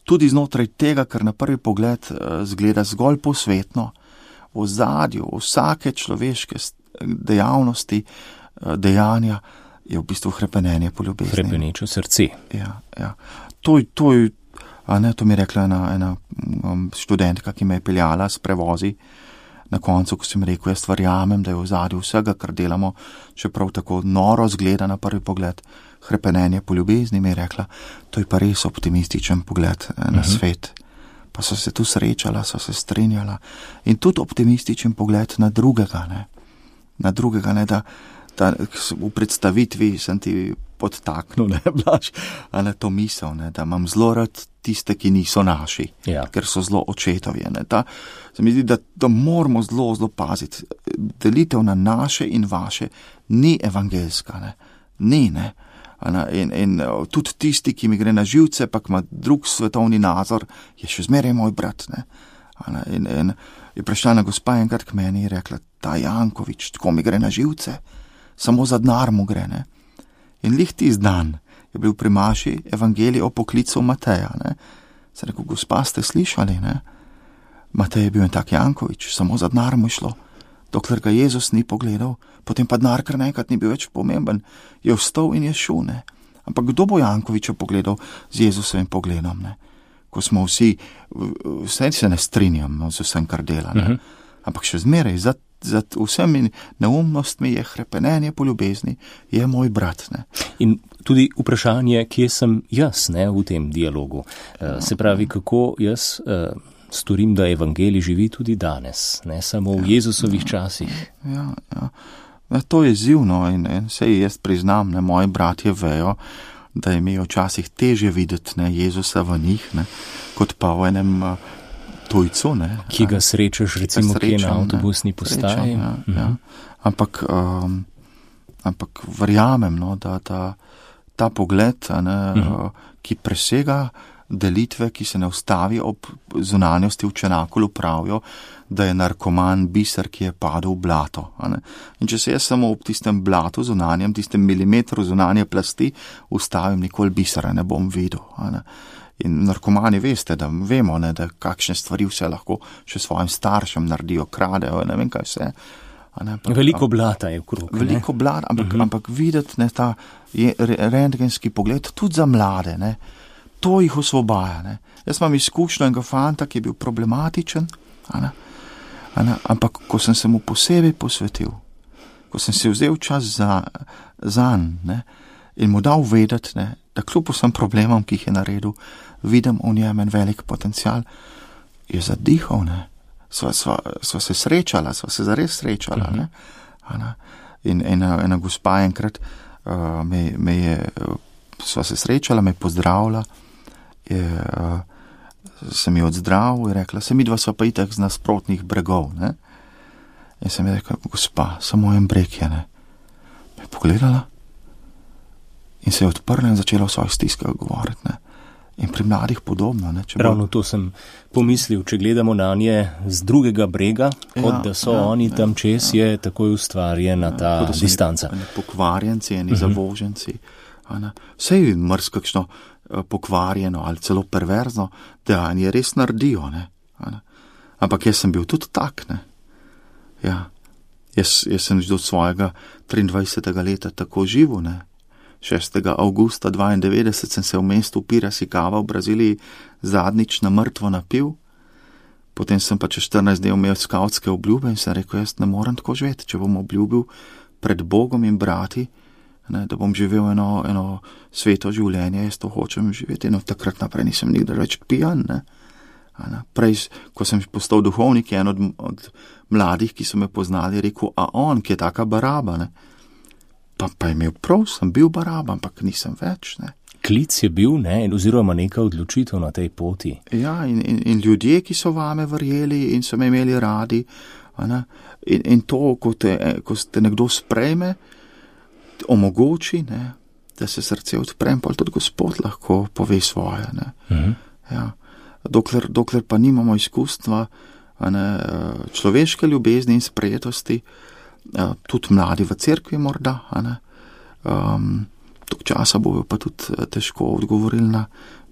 tudi znotraj tega, kar na prvi pogled uh, zgleda zgolj posvetno, v ozadju vsake človeške dejavnosti, uh, dejanja, je v bistvu hrepenenje po ljubezni. Hrepeneče srce. Ja, ja. To, to, a ne, to mi je rekla ena, ena um, študentka, ki me je peljala s prevozi. Na koncu, ko sem rekel, jaz verjamem, da je v ozadju vsega, kar delamo, čeprav tako noro zgleda na prvi pogled, hrepenenje po ljubezni, mi je rekla, to je pa res optimističen pogled na uh-huh. svet. Pa so se tu srečala, so se strinjala. In tudi optimističen pogled na drugega, ne. Na drugega, ne, da, da v predstavitvi sem ti podtaknil, ne, Blaž, a ne, to misel, ne, da imam zelo rad tiste, ki niso naši, ja. Ker so zelo očetovje, ne, ta, se mi zdi, da, da moramo zelo, zelo paziti, delitev na naše in vaše ni evangelska, ne, ni, ne, a ne, in, in tudi tisti, ki mi gre na živce, pa ima drug svetovni nazor, je še zmeraj moj brat, ne, a ne, in, in je prišla na gospa enkrat k meni in rekla, ta Jankovič, tako mi gre na živce, samo za denar mu gre, ne. In lih tisti dan je bil pri maši evangelij o poklicu Mateja, ne. Se rekel, gospa, ste slišali, ne? Matej je bil en tak Jankovič, samo za denar mu šlo. Dokler ga Jezus ni pogledal, potem pa denar kar naenkrat ni bil več pomemben, je vstal in je šel, ne. Ampak kdo bo Jankoviča pogledal z Jezusovim pogledom, ne? Ko smo vsi, vse se ne strinjam, no, z vsem, kar dela, ne. Uh-huh. Ampak še zmeraj, za za vsemi neumnostmi je hrepenenje po ljubezni, je moj brat, ne. In tudi vprašanje, kje sem jaz, ne, v tem dialogu. Uh, se pravi, kako jaz uh, storim, da evangelij živi tudi danes, ne samo v ja, Jezusovih ja, časih. Ja, ja. Ja, to je zivno in, in sej jaz priznam, ne, moji bratje vejo, da je mi včasih teže videti, ne, Jezusa v njih, ne, kot pa v enem uh, tujcu, ne. Ki ga srečaš, recimo, ki je na avtobusni postaji. Ja, mhm. ja. Ampak, um, ampak verjamem, no, da ta, ta pogled, ne, mhm. ki presega delitve, ki se ne ustavi ob zunanjosti v Čenakolu, pravijo, da je narkoman biser, ki je padel v blato. Ne. In če se jaz samo ob tistem blatu zunanjem, tistem milimetru zunanje plasti ustavim, nikoli bisera ne bom videl. Ne. In narkomani veste, da vemo, ne, da kakšne stvari vse lahko še svojim staršem naredijo, kradejo, ne vem kaj vse. Ne, ampak, veliko blata je okrog. Veliko blata, ampak, uh-huh. ampak videti, ne, ta rentgenski pogled tudi za mlade, ne, to jih osvobaja. Ne. Jaz imam izkušnjo enega fanta, ki je bil problematičen, a ne, a ne, ampak ko sem se mu posebej posvetil, ko sem si vzel čas za, zanj, ne, in mu dal vedeti, ne, da kljub vsem problemom, ki jih je naredil, vidim v njem en velik potencial, je zadihal, ne. Sva, sva, sva se srečala, sva se zares srečala, uh-huh. ne. ne. In ena, ena gospa enkrat uh, me, me je, sva se srečala, me je pozdravila, je, uh, sem jo odzdravil in rekla, se midva sva pa itak z nasprotnih bregov, ne. In sem je rekla, gospa, samo en breg je, ne. Me je pogledala in se je odprla in začela o svojih stiskah govoriti, ne. In pri mladih podobno, ne. Če Ravno bo... to sem pomislil, če gledamo na nje z drugega brega, ja, kot da so ja, oni tam čez, ja. Je takoj ustvarjena ta ja, distanca. Eni pokvarjenci, eni uh-huh. zavoženci, a ne. Sej mrs kakšno uh, pokvarjeno ali celo perverzno, da oni res naredijo, ne. A ne. Ampak jaz sem bil tudi tak, ne. Ja. Jaz, jaz sem že do svojega triindvajsetega leta tako živel, ne. šestega avgusta dvaindevetdeset sem se v mestu Piracicaba v Braziliji zadnjič na mrtvo napil, potem sem pa čez štirinajst dni imel skavtske obljube in sem rekel, jaz ne morem tako živeti, če bom obljubil pred Bogom in brati, ne, da bom živel eno, eno sveto življenje, jaz to hočem živeti, in od takrat naprej nisem nikdar več pijan, ne. Ne. Prej, ko sem postal duhovnik, je en od, od mladih, ki so me poznali, rekel, a on, ki je taka baraba, ne. Pa, pa je imel prav, sem bil baraba, ampak nisem več, ne. Klic je bil, ne, oziroma neka odločitev na tej poti. Ja, in, in, in ljudje, ki so vame verjeli in so me imeli radi, ne, in, in to, ko te, ko te nekdo sprejme, omogoči, ne, da se srce odpre in pol tudi Gospod lahko pove svoje. Ne. Mhm. Ja. Dokler, dokler pa nimamo izkustva ne, človeške ljubezni in sprejetosti, tudi mladi v cerkvi morda, ne, um, tok časa bojo pa tudi težko odgovorili na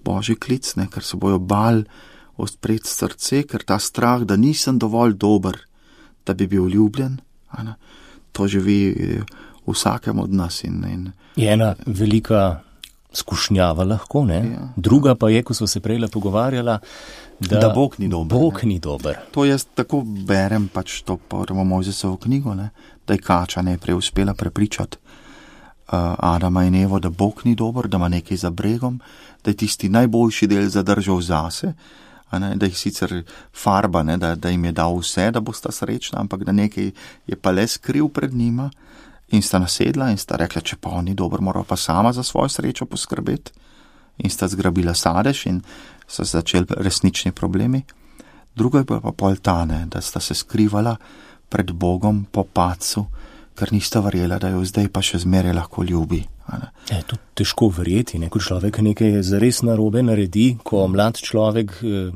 Božji klic, ne, ker se bojo bal odpreti srce, ker ta strah, da nisem dovolj dober, da bi bil ljubljen, ne, to živi v vsakem od nas. In, in, je ena velika skušnjava lahko, ne? Ja. Druga pa je, ko smo se prejle pogovarjala, da, da Bog ni dober. Bog ni dober. To jaz tako berem pač to prvo Mojzesovo knjigo, ne? Da je kača najprej uspela prepričati uh, Adama in Evo, da Bog ni dober, da ima nekaj za bregom, da je tisti najboljši del zadržal zase, a ne? Da jih sicer farba, ne? Da, da jim je dal vse, da bosta srečna, ampak da nekaj je pa le skril pred njima. In sta nasedla in sta rekla, če pa on ni dober, mora pa sama za svojo srečo poskrbeti. In sta zgrabila sadež in so začeli resnični problemi. Drugo je pa pol tane, da sta se skrivala pred Bogom po padcu, ker nista verjela, da jo zdaj pa še zmeraj lahko ljubi. Je to težko verjeti, ne? Ko človek nekaj zares narobe naredi, ko mlad človek eh,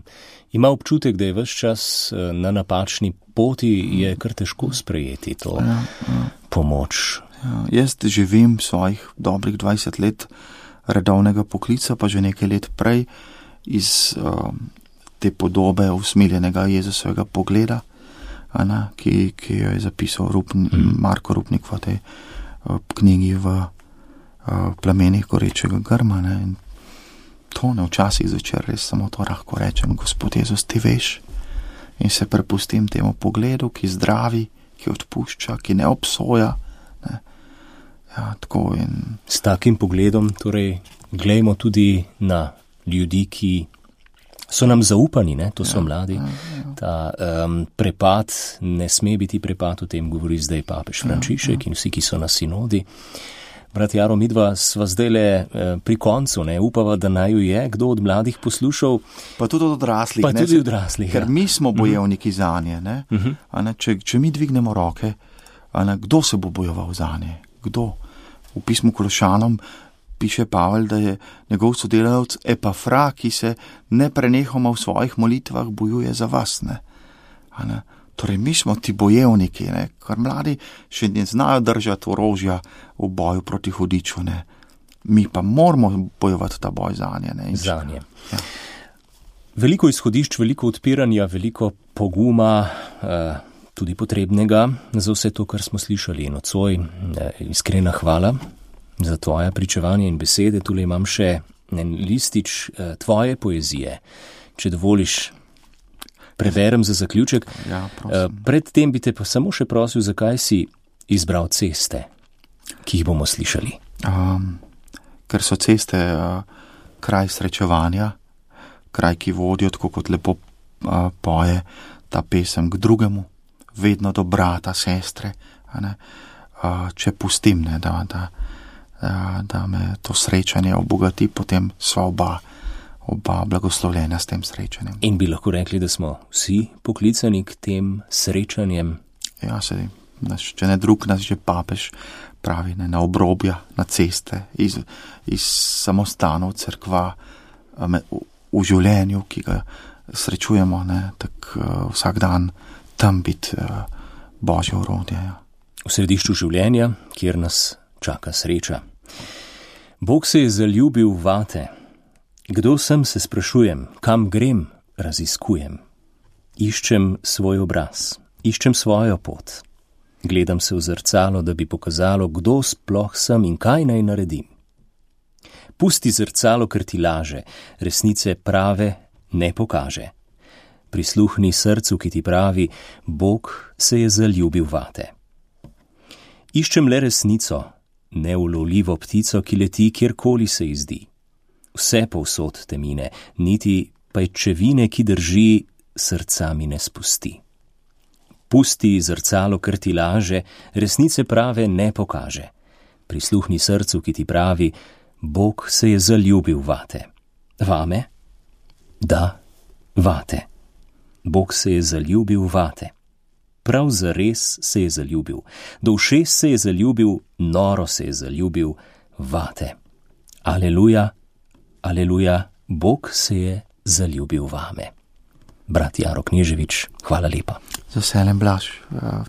ima občutek, da je ves čas eh, na napačni poti, je kar težko sprejeti to ja, ja. pomoč. Ja, jaz živim svojih dobrih dvajset let redovnega poklica, pa že nekaj let prej iz uh, te podobe usmiljenega Jezusovega pogleda, ana, ki, ki jo je zapisal Rupn, mm. Marko Rupnik v tej uh, knjigi v uh, Plamenih gorečega grma. Ne, in to ne včasih zvečer res samo to lahko rečem, Gospod Jezus, ti veš, in se prepustim temu pogledu, ki zdravi, ki odpušča, ki ne obsoja. Ne. Ja, tako in... S takim pogledom, torej, glejmo tudi na ljudi, ki so nam zaupani, ne? To so ja, mladi. Ja, ja. Ta um, prepad ne sme biti prepad, o tem govori zdaj papež Frančišek ja, ja. In vsi, ki so na sinodi. Brat Jaro, midva sva zdaj le eh, pri koncu, ne, upava, da naju je kdo od mladih poslušal. Pa tudi od odraslih. Pa ne, tudi odraslih, ker ja. mi smo bojevniki uh-huh. zanje, ne. Uh-huh. A ne, če, če mi dvignemo roke, a ne, kdo se bo bojeval zanje? Kdo? V pismu Kološanom piše Pavel, da je njegov sodelavec Epafra, ki se ne prenehoma v svojih molitvah bojuje za vas, ne. A ne. Torej, mi smo ti bojevniki, ne, kar mladi še ne znajo držati orožja v boju proti hudiču, ne. Mi pa moramo bojevati ta boj zanje, ne. Zanje. Ja. Veliko izhodišč, veliko odpiranja, veliko poguma, eh, tudi potrebnega za vse to, kar smo slišali. In nocoj, eh, iskrena hvala za tvoje pričevanje in besede. Tule imam še en listič eh, tvoje poezije, če dovoliš. Preverem za zaključek. Ja, Predtem bi te pa samo še prosil, zakaj si izbral ceste, ki jih bomo slišali. Um, ker so ceste uh, kraj srečevanja, kraj, ki vodijo, tako kot lepo uh, poje ta pesem k drugemu, vedno do brata, sestre, a ne, uh, če pustim, ne, da, da, da, da me to srečanje obogati, potem sva oba. oba blagoslovljena s tem srečanjem. In bi lahko rekli, da smo vsi poklicani k tem srečanjem? Ja, se, naš, če ne drug, nas že papež pravi, ne, na obrobja, na ceste, iz, iz samostanov, cerkva, v, v življenju, ki ga srečujemo, ne, tak uh, vsak dan tam biti uh, Božje orodje. Ja. V središču življenja, kjer nas čaka sreča. Bog se je zaljubil vate. Kdo sem, se sprašujem, kam grem, raziskujem. Iščem svoj obraz, iščem svojo pot. Gledam se v zrcalo, da bi pokazalo, kdo sploh sem in kaj naj naredim. Pusti zrcalo, ker ti laže, resnice prave ne pokaže. Prisluhni srcu, ki ti pravi, Bog se je zaljubil vate. Iščem le resnico, neulovljivo ptico, ki leti, kjerkoli se ji zdi. Vse povsod te mine, niti pajčevine, ki drži, srca mi ne spusti. Pusti zrcalo, ker ti laže, resnice prave ne pokaže. Prisluhni srcu, ki ti pravi, Bog se je zaljubil vate. Vame? Da, vate. Bog se je zaljubil vate. Prav zares se je zaljubil. Do ušes se je zaljubil, noro se je zaljubil vate. Aleluja, aleluja, Bog se je zaljubil vame. Brat Jaro Kneževič, hvala lepa. Z veseljem, Blaž.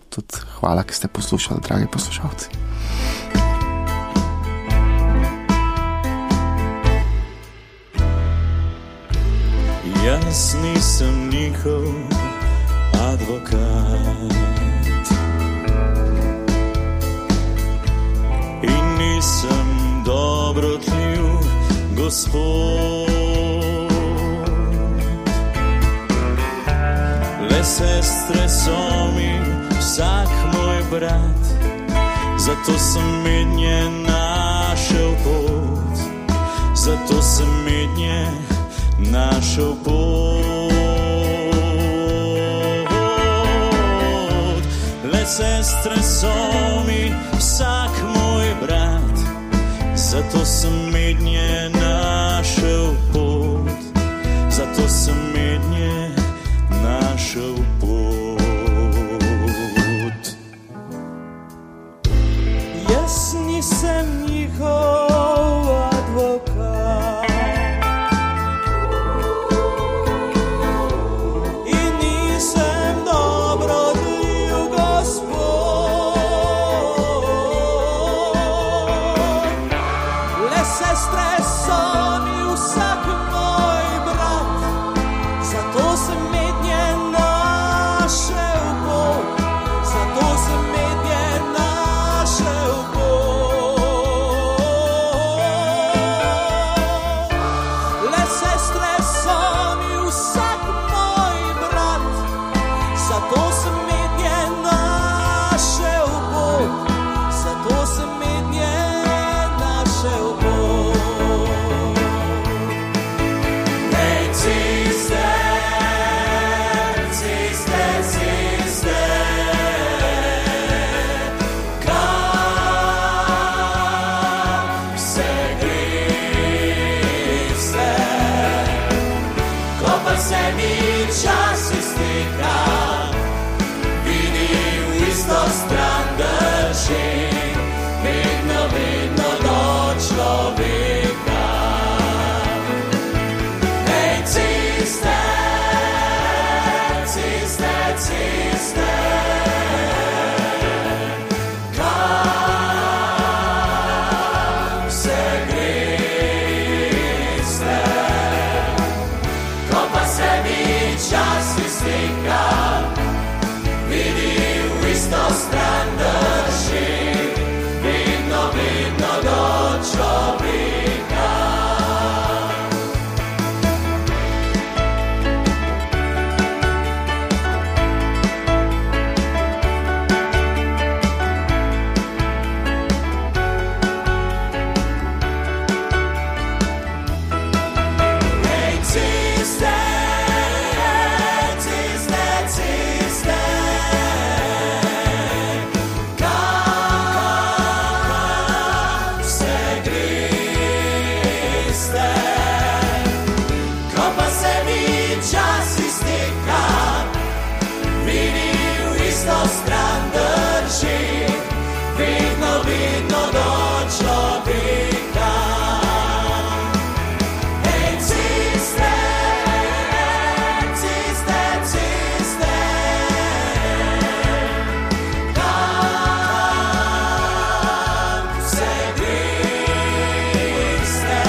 Tudi hvala, ki ste poslušali, dragi poslušalci. Jaz nisem njihov advokat in nisem dobrotljiv Gospod. Le sestre so mi vsak moj brat, zato sem mednje našel pot, zato sem mednje našel pot. Le sestre so mi vsak moj brat, zato sem mednje našel pot, zato sem mednje našel pot. Jaz nisem njihov advokat in nisem dobrotljiv Gospod. Le sestre so mi vsak moj brat, zato sem mednje našel pot, zato sem mednje našel pot. Le sestre so mi vsak moj brat, zato sem mednje našel pot, zato sem mednje našel pot. Hej, ciste, ciste, ciste, kam se griste, ko pa se mi čas izteka, vidim v isto stran drži, vedno, vedno do človeka. Hej, ciste, ciste, ciste, kam se griste, ko pa se mi čas izteka, vidim v isto stran drži, vedno, vedno do človeka. Hej, ciste, ciste, ciste, kam se griste, ko pa se mi čas izteka, vidim v isto stran drži, vedno, vedno do človeka. Hej, ciste, ciste, ciste, kam se griste,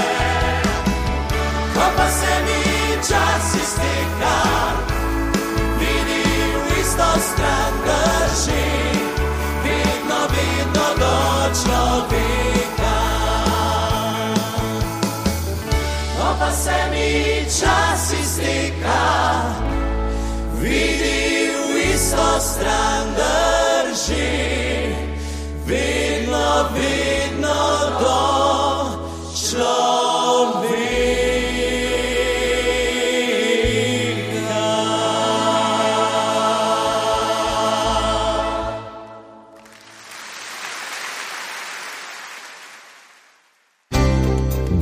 ko pa se mi čas izteka, vidim v isto stran drži, vedno, vedno do človeka. Ko pa se mi čas izteka, vidim v isto stran drži, vedno, vedno do človeka.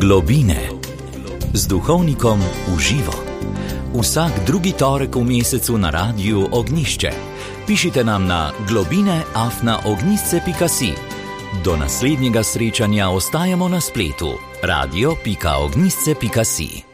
Globine z duhovnikom v živo. Vsak drugi torek v mesecu na Radiu Ognišče. Pišite nam na globine afna ognjišče pika si. Do naslednjega srečanja ostajamo na spletu radio pika ognjišče pika si.